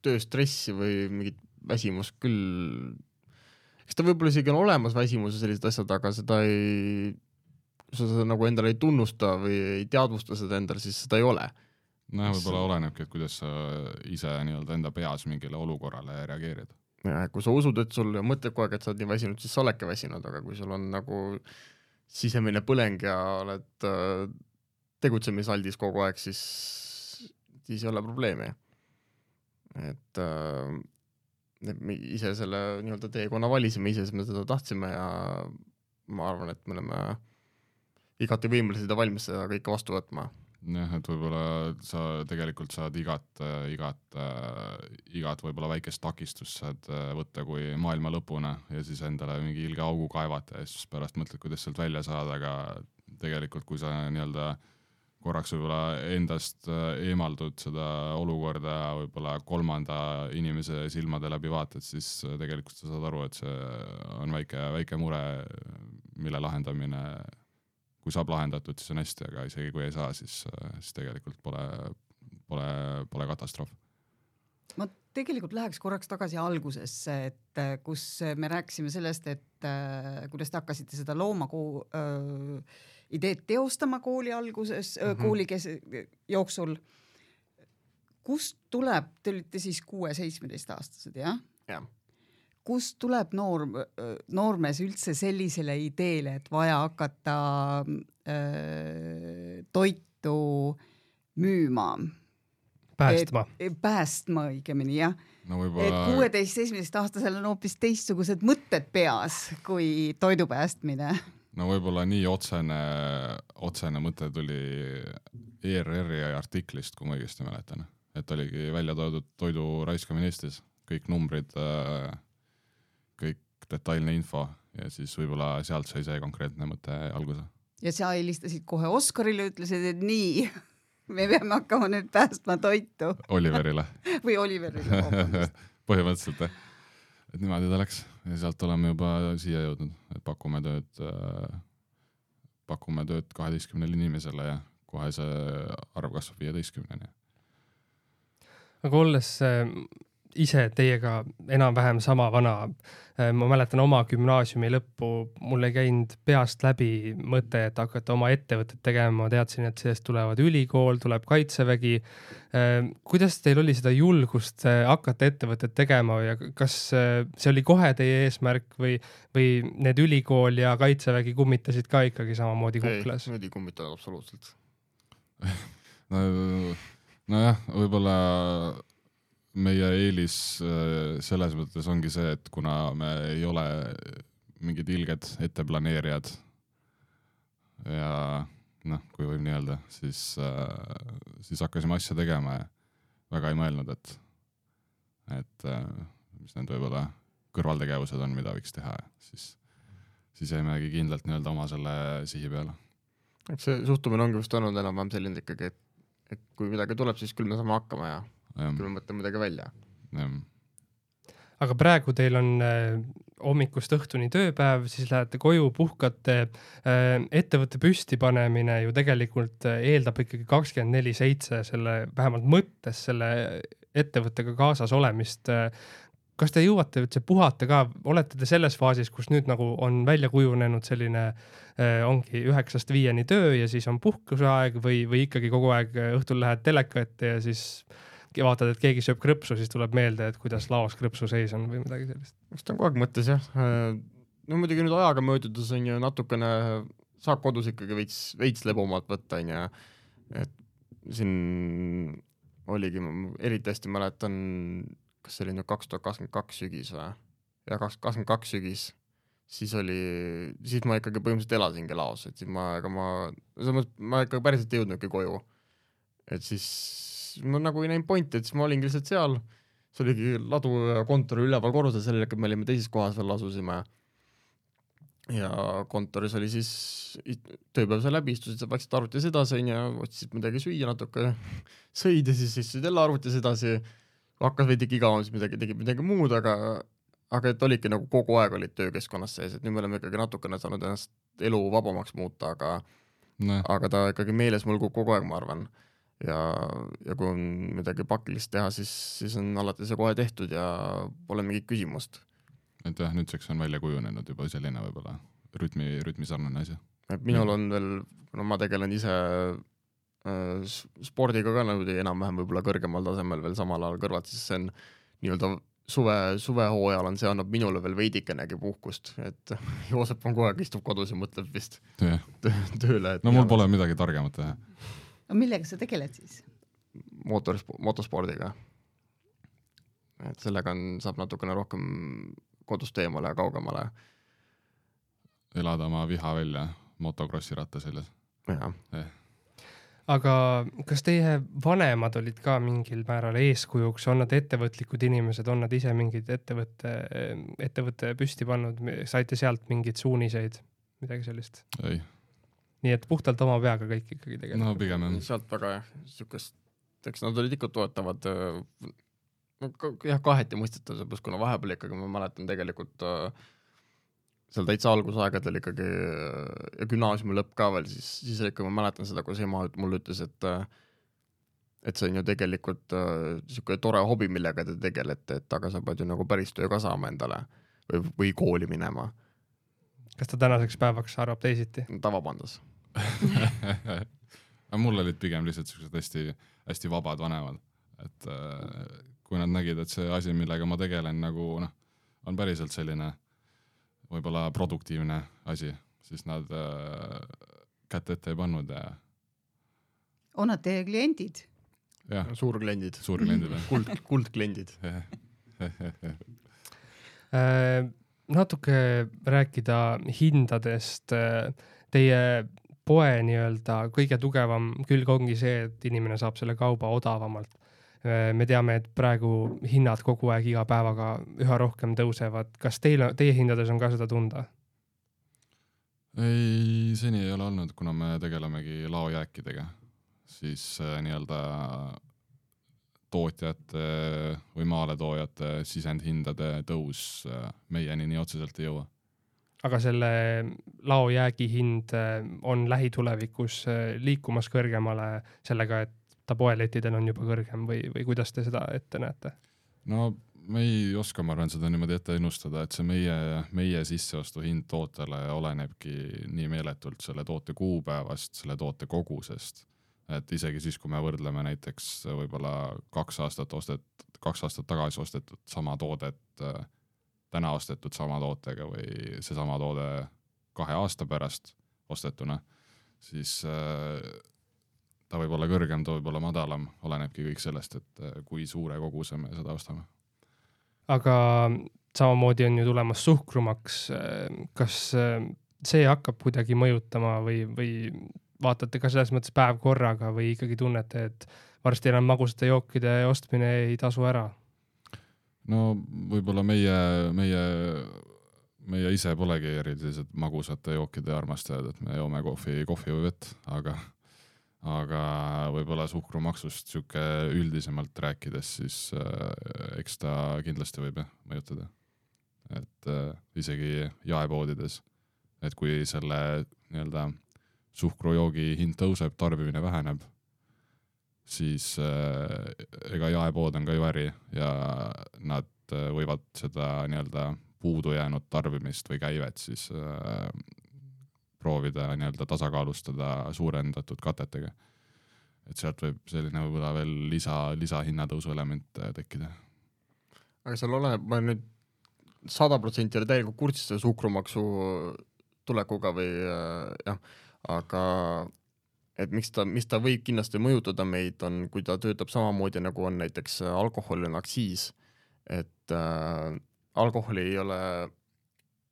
tööstressi või mingit väsimus küll... Eks ta võib-olla isegi on olemas väsimus ja sellised asjad, aga seda ei, kui sa seda nagu endale ei tunnusta või ei teadvusta seda endale, siis seda ei ole. No võib-olla olenebki, et kuidas sa ise nii-öelda enda peas mingile olukorrale reageerid. Ja kui sa usud, et sul mõtled kogu aeg, et sa oled nii väsinud, siis sa oledki väsinud, aga kui sul on nagu sisemine põleng ja oled tegutsemisaldis kogu aeg, siis, siis ei ole probleemi. Et... me ise selle nii-öelda teekonna valisime, ise me seda tahtsime ja ma arvan, et me oleme igati võimelised ja valmis seda kõike vastu võtma. Jah, et võib-olla sa tegelikult saad igat, igat, igat võib-olla väikest takistust saad võtta kui maailma lõpuna ja siis endale mingi ilge augu kaevata ja siis pärast mõtled, kuidas sealt välja saada, aga tegelikult kui sa nii-öelda korraks võib-olla endast eemaldud seda olukorda võib-olla kolmanda inimese silmade läbi vaatad, siis tegelikult sa saad aru, et see on väike, väike mure, mille lahendamine, kui saab lahendatud, siis on hästi, aga isegi kui ei saa, siis, siis tegelikult pole, pole, pole katastroof. Ma tegelikult läheks korraks tagasi algusesse, et kus me rääkisime sellest, et kuidas te hakkasite seda loomakuu öö, ideed teostama kooli alguses, mm -hmm. kooli kes, jooksul. Kust tuleb, te olite siis kuue-seitsmeteist aastased, jah? Ja. Kust tuleb noor, noormees üldse sellisele ideele, et vaja hakata öö, toitu müüma? Päästma. Et, päästma õigemini, jah. No võibolla... Et kuueteist-seitsmeteist aastasel on hoopis teistsugused mõtted peas kui toidu päästmine. No võib-olla nii otsene, otsene mõte tuli E R R-i artiklist, kui ma õigesti mäletan. Et oligi välja toodud toidu raiskamine Eestis, kõik numbrid, kõik detailne info ja siis võib-olla sealt sai see konkreetne mõte alguse. Ja sa helistasid kohe Oskarile, ütlesid, et nii, me peame hakkama nüüd päästma toitu. Oliverile. Või Oliverile. Põhimõtteliselt, et niimoodi ta läks. Ja sealt oleme juba siia jõudnud, et pakume tööd, pakume tööd kaheteistkümnele inimesele ja kohe see arv kasvab viieteistkümneni. Aga olles ise teiega enam-vähem sama vana, ma mäletan oma gümnaasiumi lõppu, mul ei käinud peast läbi mõte, et hakata oma ettevõtet tegema, ma teadsin, et sellest tulevad ülikool, tuleb kaitsevägi. Kuidas teil oli seda julgust hakata ettevõtet tegema ja kas see oli kohe teie eesmärk või, või need ülikool ja kaitsevägi kummitasid ka ikkagi samamoodi kuklas? Ei, need ei kummitanud absoluutselt. no, no jah, võib-olla meie eelis selles mõttes ongi see, et kuna me ei ole mingid ilged etteplaneerijad ja noh, kui võib nii öelda, siis, siis hakkasime asja tegema ja väga ei mõelnud, et, et mis need võib-olla kõrvaltegevused on, mida võiks teha, siis, siis jäimegi kindlalt nii-öelda oma selle sihi peale. Eks see suhtumine ongi vist olnud enam-vähem selline ikkagi, et, et kui midagi tuleb, siis küll me saame hakkama ja küll me mõtleme midagi välja. Ja. Aga praegu teil on äh, hommikust õhtuni tööpäev, siis lähete koju, puhkate. Äh, ettevõtte püsti panemine ju tegelikult eeldab ikkagi kakskümmend neli seitse selle vähemalt mõttes selle ettevõttega kaasas olemist. kas te jõuate üldse puhata ka, olete te selles faasis, kus nüüd nagu on välja kujunenud selline äh, ongi üheksast viieni töö ja siis on puhkuseaeg või, või ikkagi kogu aeg õhtul lähed teleka ette ja siis vaatad, et keegi sööb krõpsu, siis tuleb meelde, et kuidas laos krõpsu seis on või midagi sellist? Eks ta on kogu aeg mõttes jah. No muidugi nüüd ajaga möödudes on ju natukene, saab kodus ikkagi veits, veits lebomalt võtta, on ju. Et siin oligi, ma eriti hästi mäletan, kas see oli nüüd kaks tuhat kakskümmend kaks sügis või? Ja kaks tuhat kakskümmend kaks sügis, siis oli, siis ma ikkagi põhimõtteliselt elasingi laos, et siis ma, ega ma, ma ikka päriselt ei jõudnudki koju. Et siis ma nagu ei näinud pointi, et siis ma olingi lihtsalt seal, see oligi ladu kontori üleval korrusel, sellele, et me olime teises kohas veel asusime. Ja kontoris oli siis tööpäev sai läbi, istusid, vaikselt arvutis edasi ja otsisid midagi süüa natuke, sõid ja siis istusid jälle arvutis edasi, hakkas veidike igavam, siis midagi, tegid midagi muud, aga, aga et olidki nagu kogu aeg olid töökeskkonnas sees, et nüüd me oleme ikkagi natukene saanud ennast elu vabamaks muuta, aga, no. aga ta ikkagi meeles mulgub kogu aeg, ma arvan. Ja, ja kui on midagi pakilist teha, siis, siis on alati see kohe tehtud ja pole mingit küsimust. Et jah, nüüdseks on välja kujunenud juba selline võib-olla rütmi, rütmi sarnane asi. Et minul on veel, no ma tegelen ise äh, spordiga ka nagu enam-vähem võib-olla kõrgemal tasemel veel samal ajal kõrvalt, siis see on nii-öelda suve, suvehooajal on see annab minule veel veidikenegi puhkust, et Joosep on kogu aeg istub kodus ja mõtleb vist yeah. tööle. Et no mul pole midagi targemat teha. No millega sa tegeled siis? Motor, motospordiga. Et sellega on, saab natukene rohkem kodust eemale ja kaugemale. Elada oma viha välja motokrossi ratta selles. Ja. Eh. Aga kas teie vanemad olid ka mingil määral eeskujuks, on nad ettevõtlikud inimesed, on nad ise mingid ettevõtte, ettevõtte püsti pannud, saite sealt mingid suuniseid, midagi sellist? Ei. Nii et puhtalt oma peaga kõik ikkagi tegelikult. No pigem on. Sealt väga jah, sükest, eks nad olid ikka toetavad, no, jah, kaheti mõistetav, plus kuna vahepeal ikkagi ma mäletan tegelikult seal täitsa algusaegadel ikkagi ja gümnaasiumi lõpp ka veel, siis, siis ikka ma mäletan seda, kus ema mulle ütles, et et see on ju tegelikult niisugune tore hobi, millega te tegelete, et aga sa pead ju nagu päris töö ka saama endale või, või kooli minema. Kas ta tänaseks päevaks arvab teisiti? Tavapandas. Mul olid pigem lihtsalt sellised hästi, hästi vabad vanemad, et kui nad nägid, et see asi, millega ma tegelen, nagu noh, on päriselt selline võib-olla produktiivne asi, siis nad äh, kätte ette ei pannud. Ja... On nad teie kliendid? Jah. Suurkliendid. Suurkliendid. Kuld, kuldkliendid. Natuke rääkida hindadest. Teie poe nii-öelda kõige tugevam külg ongi see, et inimene saab selle kauba odavamalt. Me teame, et praegu hinnad kogu aeg iga päevaga üha rohkem tõusevad. Kas teil, teie hindades on ka seda tunda? Ei, seni ei ole olnud, kuna me tegelemegi laojääkidega. Siis äh, nii-öelda tootjate või maaletoojate sisendhindade tõus äh, meieni nii otseselt ei jõua. Aga selle laojäägi hind on lähitulevikus liikumas kõrgemale sellega, et ta poelettidel on juba kõrgem või, või kuidas te seda ette näete? No me ei oska, ma arvan, seda niimoodi ette ennustada, et see meie, meie sisseostu hind tootele olenebki nii meeletult selle toote kuupäevast, selle toote kogusest. Et isegi siis, kui me võrdleme näiteks võib-olla kaks aastat, ostet, kaks aastat tagasi ostetud sama toodet, täna ostetud sama tootega või see sama toode kahe aasta pärast ostetuna, siis ta võib olla kõrgem, ta võib olla madalam, olenebki kõik sellest, et kui suure koguse me seda ostame. Aga samamoodi on ju tulemas suhkrumaks. Kas see hakkab kuidagi mõjutama või, või vaatate ka selles mõttes päev korraga või ikkagi tunnete, et varsti enam magusate jookide ostmine ei tasu ära? No võib-olla meie, meie, meie ise polegi erilised magusate jookide armastajad, et me joome kohvi, kohvi või vett, aga aga võib-olla suhkrumaksust siuke üldisemalt rääkides, siis äh, eks ta kindlasti võib mõjutada. Et äh, isegi jaepoodides, et kui selle nii-öelda suhkrujoogi hind tõuseb, tarbimine väheneb, siis äh, ega jaepood on ka ju äri ja nad nad võivad seda nii-öelda puudu jäänud tarbimist või käivet siis äh, proovida nii-öelda tasakaalustada suurendatud katetega. Et sealt võib selline võib-olla veel lisa, lisa hinnatõusu element tekkida. Aga seal oleneb, ma nüüd sada protsenti oli täielikult kursis selle suhkrumaksu tulekuga või jah, aga et miks ta, mis ta võib kindlasti mõjutada meid on, kui ta töötab samamoodi nagu on näiteks alkohol on aktsiis, et äh, alkoholi ei ole,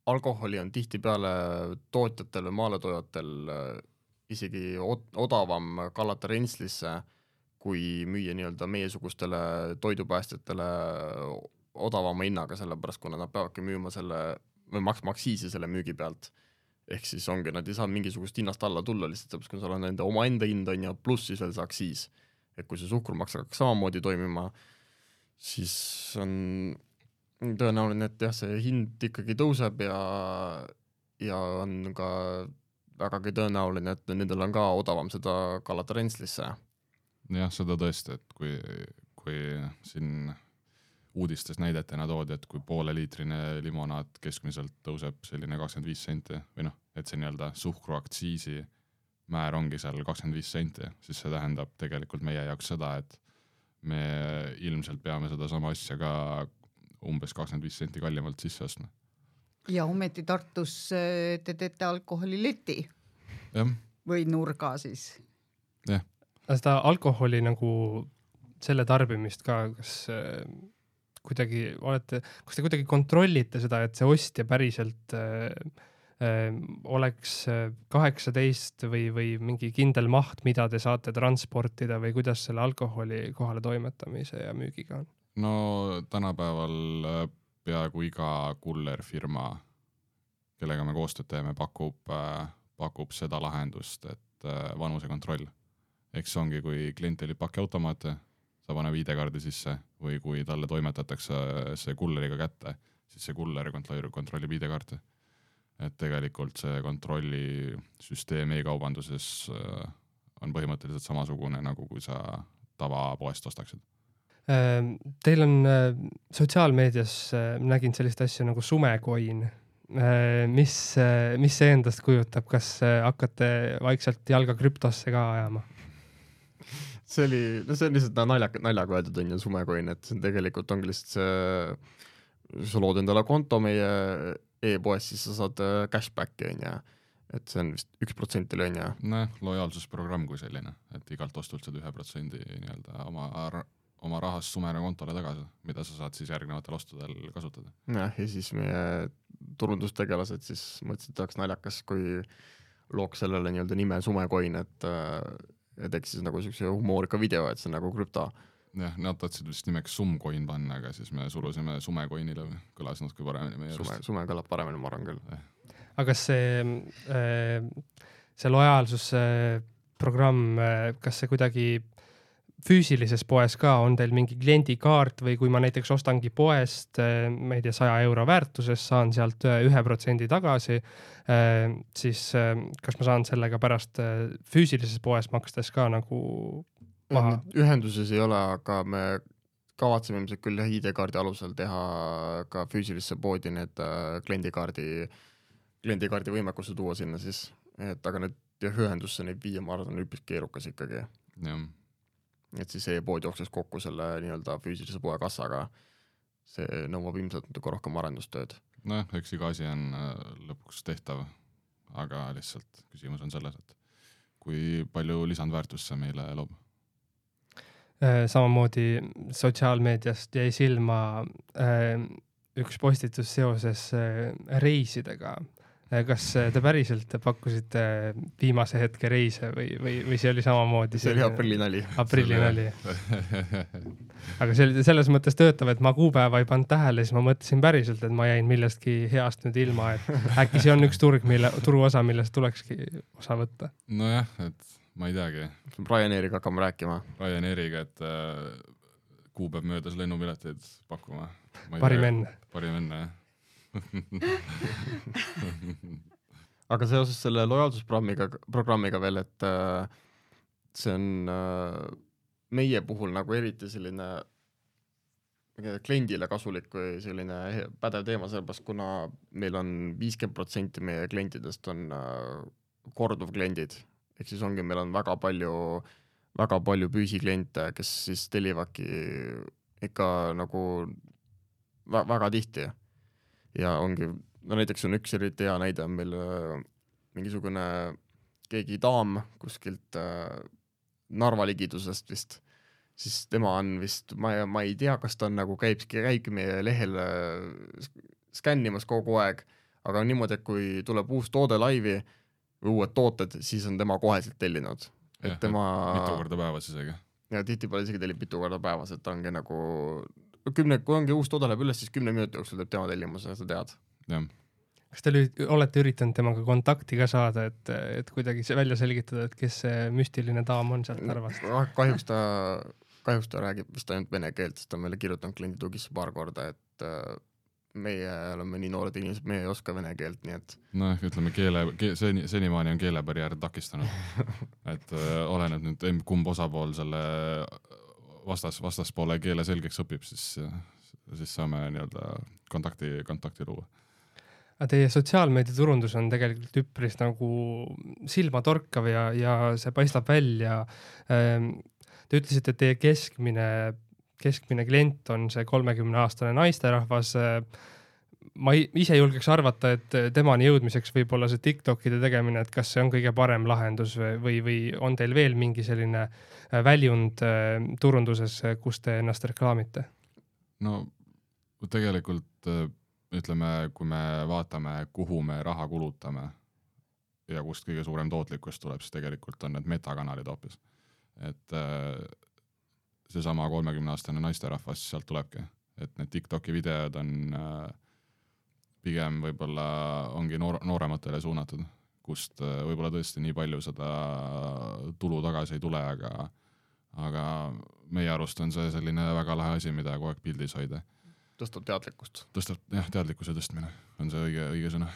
alkoholi on tihti peale tootjatel või maaletoojatel äh, isegi od- odavam kallata rentslisse, kui müüa nii-öelda meiesugustele toidupäästjatele odavama hinnaga, sellepärast kuna nad peavadki müüma selle või maksma aktsiisi selle müügi pealt. Ehk siis ongi, nad ei saa mingisugust hinnast alla tulla lihtsalt, sellepärast kui sul on nende oma enda hind on ja pluss siis veel see aktsiis. Et kui see suhkrumaks hakkaks samamoodi toimima, siis on tõenäoline, et jah, see hind ikkagi tõuseb ja, ja on ka vägagi tõenäoline, et nendel on ka odavam seda kallata rentslisse. Jah, seda tõesti, et kui, kui siin uudistes näidetena toodi, et kui poole liitrine limonaad keskmiselt tõuseb selline kakskümmend viis senti või noh, et see nii-öelda suhkruaktsiisi määr ongi seal kakskümmend viis senti, siis see tähendab tegelikult meie jaoks seda, et me ilmselt peame seda sama asja ka umbes kakskümmend viis senti kallimalt sisse ostma. Ja ometi Tartus te teete alkoholileti jah. Või nurga siis. Jah. Seda alkoholi nagu selle tarbimist ka, kas kuidagi olete, kas te kuidagi kontrollite seda, et see ostja päriselt äh, äh, oleks kaheksateist või, või mingi kindel maht, mida te saate transportida või kuidas selle alkoholi kohale toimetamise ja müügiga on? No tänapäeval peaaegu iga kullerfirma, kellega me koostööd teeme, pakub, pakub seda lahendust, et vanuse kontroll. Eks see ongi, kui klient tellib pakiautomaate, ta paneb I D-kaardi sisse või kui talle toimetatakse see kulleriga kätte, siis see kuller kontrollib I D-kaarti. Et tegelikult see kontrollisüsteem e-kaubanduses on põhimõtteliselt samasugune, nagu kui sa tavapoest ostaksid. Teil on sotsiaalmeedias, nägin sellist asja nagu sumecoin. Mis, mis see endast kujutab? Kas hakkate vaikselt jalga krüptosse ka ajama? See oli, no see on lihtsalt naljaga, naljaga öeldud on ju sumecoin, et see on tegelikult ongi lihtsalt see, sa lood endale konto meie e-poes, siis sa saad cashbacki on ja, et see on vist üks protsent oli on ja. Näe, lojaalsusprogramm kui selline, et igalt ostult saad ühe protsendi nii-öelda oma, oma rahast sumena kontole tagasi, mida sa saad siis järgnevatel ostudel kasutada. Ja, ja siis meie turundustegelased siis mõtlesid, et oleks naljakas, kui looks sellele nii-öelda nime sumecoin, et ja teeks siis nagu sellise humoorika video, et see on nagu krüpto. Jah, nad tahtsid vist nimeks sumcoin panna, aga siis me sulusime sumecoinile, kõlas natuke paremini meie sume, sume kõlab paremini, ma arvan küll. Aga kas see, see lojaalsuse programm, kas see kuidagi füüsilises poes ka on teil mingi kliendikaart või kui ma näiteks ostangi poest, ma ei tea, saja euro väärtuses, saan sealt ühe protsendi tagasi, siis kas ma saan sellega pärast füüsilises poes makstes ka nagu maha? Ühenduses ei ole, aga me kavatseme ilmselt küll I D-kaardi alusel teha ka füüsilisse poodi need kliendikaardi, kliendikaardi võimekusse tuua sinna siis, et aga need ühendusse neid viia, ma arvan, on üpis keerukas ikkagi. Jah. Et siis e-pood jookses kokku selle nii-öelda füüsilise poe kassaga. See nõuab ilmselt natuke rohkem arendustööd. No, eks iga asi on lõpuks tehtav, aga lihtsalt küsimus on selles, et kui palju lisandväärtust see meile loob. Samamoodi sotsiaalmeediast jäi silma üks postitus seoses reisidega. Kas te päriselt pakkusite viimase hetke reise või, või, või see oli samamoodi? See oli aprillinali. Aprillinali. Aga see, selles mõttes töötav, et ma kuupäeva ei pannud tähele, siis ma mõtlesin päriselt, et ma jäin millestki heast nüüd ilma, et äkki see on üks turg, mille, turu osa, millest tulekski osa võtta. Nojah, et ma ei teagi. Ryanairiga hakkame rääkima. Ryanairiga, et äh, kuupäev möödas lennupileteid pakkuma. Parim enne. Parim enne, jah. Aga seoses selle lojaalsusprogrammiga programmiga veel, et äh, see on äh, meie puhul nagu eriti selline kliendile kasulik või selline pädev teema, sellepärast kuna meil on viiskümmend protsenti meie klientidest on korduv kliendid, ehk siis ongi, meil on väga palju, väga palju püsikliente, kes siis tellivadki ikka nagu väga tihti ja ongi, no näiteks on üks eriti hea näide, on meil mingisugune keegi daam kuskilt Narva ligidusest vist, siis tema on vist, ma, ma ei tea, kas ta on nagu käib, käibki meie lehel skännimas kogu aeg, aga on niimoodi, et kui tuleb uus toode laivi või uued tooted, siis on tema koheselt tellinud. Ja, et tema... mitu korda päevas isegi. Ja tihti pole isegi tellib mitu korda päevas, et ongi nagu kümne, kui ongi uus toode läheb üles, siis kümne minuti jooksul teeb tema tellimuse, sa tead. Jah. Kas te olete üritanud temaga kontakti ka saada, et, et kuidagi välja selgitada, et kes see müstiline daam on sealt Narvast? Kahjuks ta, kahjuks ta räägib vist ainult vene keelt, sest ta on meile kirjutanud kliendi tugisse paar korda, et meie oleme nii noored inimesed, meie ei oska vene keelt, nii et... No ütleme, keele, ke, seni, senimaani on keelebarjäär takistanud. et äh, oleneb nüüd, kumb osapool selle vastas, vastaspoole keele selgeks õpib, siis, siis saame nii-öelda kontakti, kontakti luua. Aga teie sotsiaalmeedia turundus on tegelikult üpris nagu silmatorkav ja, ja see paistab välja. Te ütlesite, et teie keskmine, keskmine klient on see kolmekümne aastane naisterahvas. Ma ise julgeks arvata, et temani jõudmiseks võib olla see TikTokide tegemine, et kas see on kõige parem lahendus või, või on teil veel mingi selline väljund turunduses, kus te ennast reklaamite? No tegelikult ütleme, kui me vaatame, kuhu me raha kulutame ja kust kõige suurem tootlikkus tuleb, siis tegelikult on need metakanalid hoopis. Et seesama kolmekümne aastane naisterahvas sealt tulebki. Et need TikToki videod on pigem võib-olla ongi noor, noorematele suunatud, kust võib-olla tõesti nii palju seda tulu tagasi ei tule, aga, aga meie arust on see selline väga lahe asi, mida kogu aeg pildis hoida. Tõstab teadlikkust. Tõstab, jah, teadlikkuse tõstmine on see õige, õige sõna.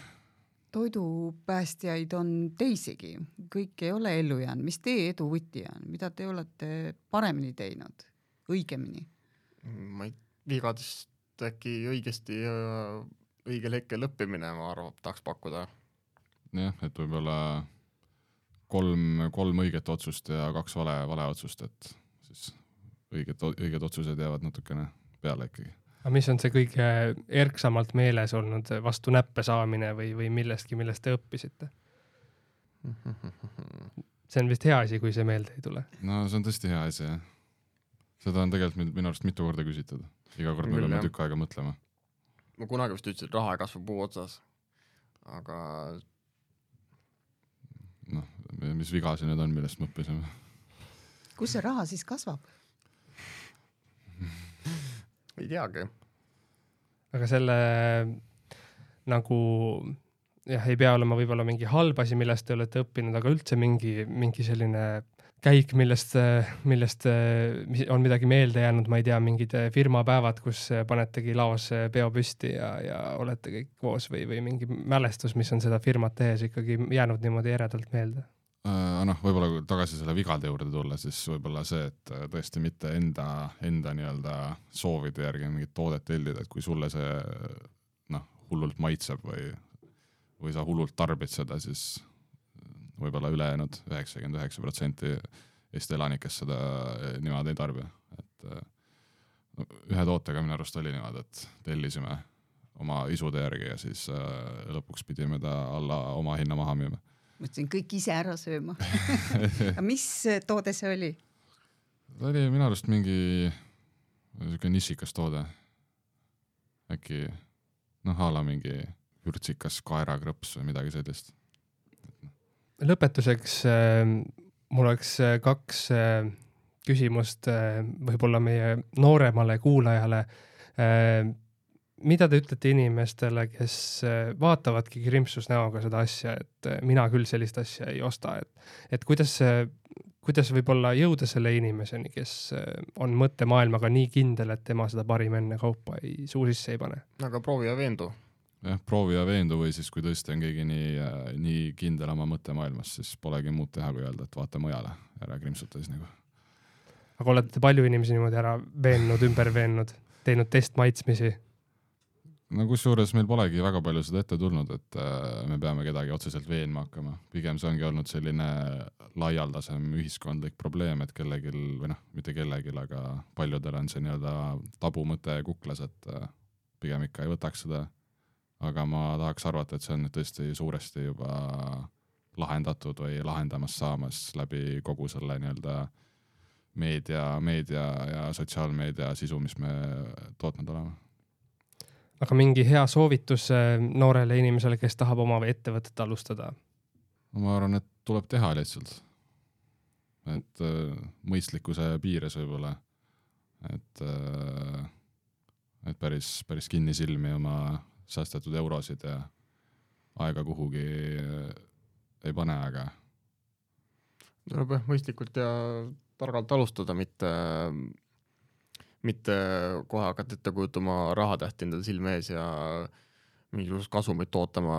Toidupäästjaid on teisigi. Kõik ei ole ellu jäänud. Mis teie edu võti on? Mida te olete paremini teinud? Õigemini? Ma ei vigadest äkki õigesti õigel hetkel õppimine, ma arvan, tahaks pakkuda. Jah, et võib-olla kolm, kolm õiget otsust ja kaks vale, vale otsust, et siis õiget, õiged otsused jäävad natukene peale ikkagi. Aga mis on see kõige erksamalt meeles olnud vastu näppe saamine või, või millestki, millest te õppisite? See on vist hea asi, kui see meelde ei tule. No see on tõesti hea asi, jah. Seda on tegelikult minu arust mitu korda küsitud. Iga kord me peame tükk aega mõtlema. Ma kunagi vist ütlesin, et raha ei kasva puu otsas. Aga... noh, mis vigasi need on, millest me õppisime? Kus see raha siis kasvab? ei teagi. Aga selle nagu jah, ei pea olema võib-olla mingi halb asi, millest te olete õppinud, aga üldse mingi, mingi selline käik, millest, millest on midagi meelde jäänud, ma ei tea, mingid firmapäevad, kus panetegi laos peo püsti ja, ja olete kõik koos või, või mingi mälestus, mis on seda firmat tehes ikkagi jäänud niimoodi eredalt meelde? Uh, noh, võib-olla tagasi selle vigade juurde tulla, siis võib-olla see, et tõesti mitte enda, enda nii-öelda soovide järgi mingit toodet tellida, et kui sulle see noh, hullult maitseb või, või sa hullult tarbid seda, siis võib-olla ülejäänud üheksakümmend üheksa protsenti Eesti elanikest seda niimoodi ei tarbi. Et, no, ühe tootega minu arust oli niimoodi, et tellisime oma isude järgi ja siis uh, lõpuks pidime ta alla oma hinna maha müüma. Mõtlesin kõik ise ära sööma. Mis toode see oli? Ta oli minu arust mingi nišikas toode. Äkki, noh, ala mingi vürtsikas kaerakrõps või midagi sellist. Lõpetuseks mul oleks kaks küsimust võib-olla meie nooremale kuulajale. Mida te ütlete inimestele, kes vaatavadki krimpsus näoga seda asja, et mina küll sellist asja ei osta, et, et kuidas, kuidas võib-olla jõuda selle inimeseni, kes on mõttemaailmaga nii kindel, et tema seda parim enne kaupa ei, suu sisse ei pane? Aga proovi ja veendu. Jah, proovi ja veendu või siis kui tõesti on keegi nii, nii kindel oma mõttemaailmas, siis polegi muud teha kui öelda, et vaata mujale, ära krimpsuta siis nagu. Aga olete palju inimesi niimoodi ära veennud, ümber veennud? teinud testmaitsmisi? no kusjuures meil polegi väga palju seda ette tulnud, et me peame kedagi otseselt veenma hakkama. Pigem see ongi olnud selline laialdasem ühiskondlik probleem, et kellegil, või noh, mitte kellegil, aga paljudel on see nii-öelda tabumõte kuklas, et pigem ikka ei võtaks seda. Aga ma tahaks arvata, et see on tõesti suuresti juba lahendatud või lahendamas saamas läbi kogu selle nii-öelda meedia, meedia ja sotsiaalmeedia sisu, mis me tootnud oleme. Aga mingi hea soovitus noorele inimesele, kes tahab oma ettevõtet alustada? Ma arvan, et tuleb teha lihtsalt. Et mõistlikkuse piires võib-olla. Et, et päris, päris kinni silmi oma säästetud eurosid ja aega kuhugi ei pane, aga tuleb jah mõistlikult ja targalt alustada, mitte mitte kohe hakata ette kujutama rahatähti endale silme ees ja mingisugust kasumit tootama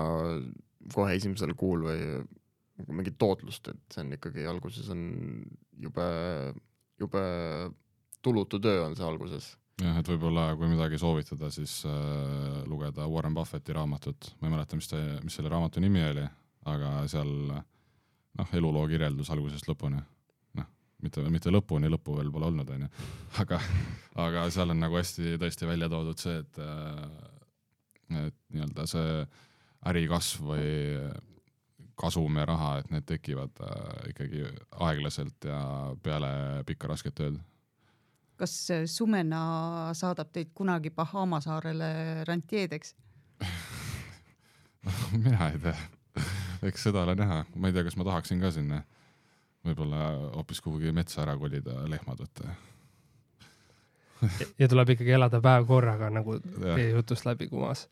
kohe esimesel kuul või mingit tootlust, et see on ikkagi alguses on jube, jube tulutu töö on see alguses. Jah, et võib-olla kui midagi soovitada, siis äh, lugeda Warren Buffetti raamatut. Ma ei mäleta, mis, te, mis selle raamatu nimi oli, aga seal noh, eluloo kirjeldus algusest lõpuni. Mitte, mitte lõpuni, lõppu veel pole olnud, on ju. Aga, aga seal on nagu hästi tõesti välja toodud see, et, et nii-öelda see ärikasv või kasum ja raha, et need tekivad ikkagi aeglaselt ja peale pikka rasket tööd. Kas Sumena saadab teid kunagi Bahama saarele rantjeedeks? Mina ei tea. Eks seda ole näha. Ma ei tea, kas ma tahaksin ka sinna. Võib-olla hoopis kuhugi metsa ära kolida lehmad võtta. ja tuleb ikkagi elada päev korraga, nagu teie jutust läbi kumas.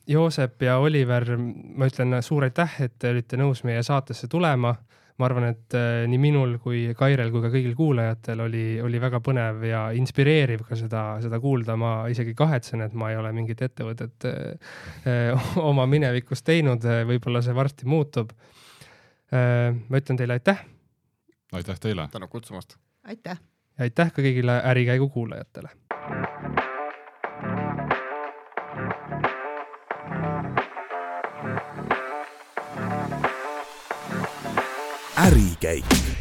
Joosep ja Oliver, ma ütlen suur aitäh, et te olite nõus meie saatesse tulema. Ma arvan, et nii minul kui Kairel kui ka kõigil kuulajatel oli, oli väga põnev ja inspireeriv ka seda, seda kuulda. Ma isegi kahetsen, et ma ei ole mingit ettevõtet oma minevikust teinud. Võib-olla see varsti muutub. Ma ütlen teile aitäh. Aitäh teile. Tänu kutsumast. Aitäh. Ja aitäh ka kõigile Ärikäigu kuulajatele. Ärikäik.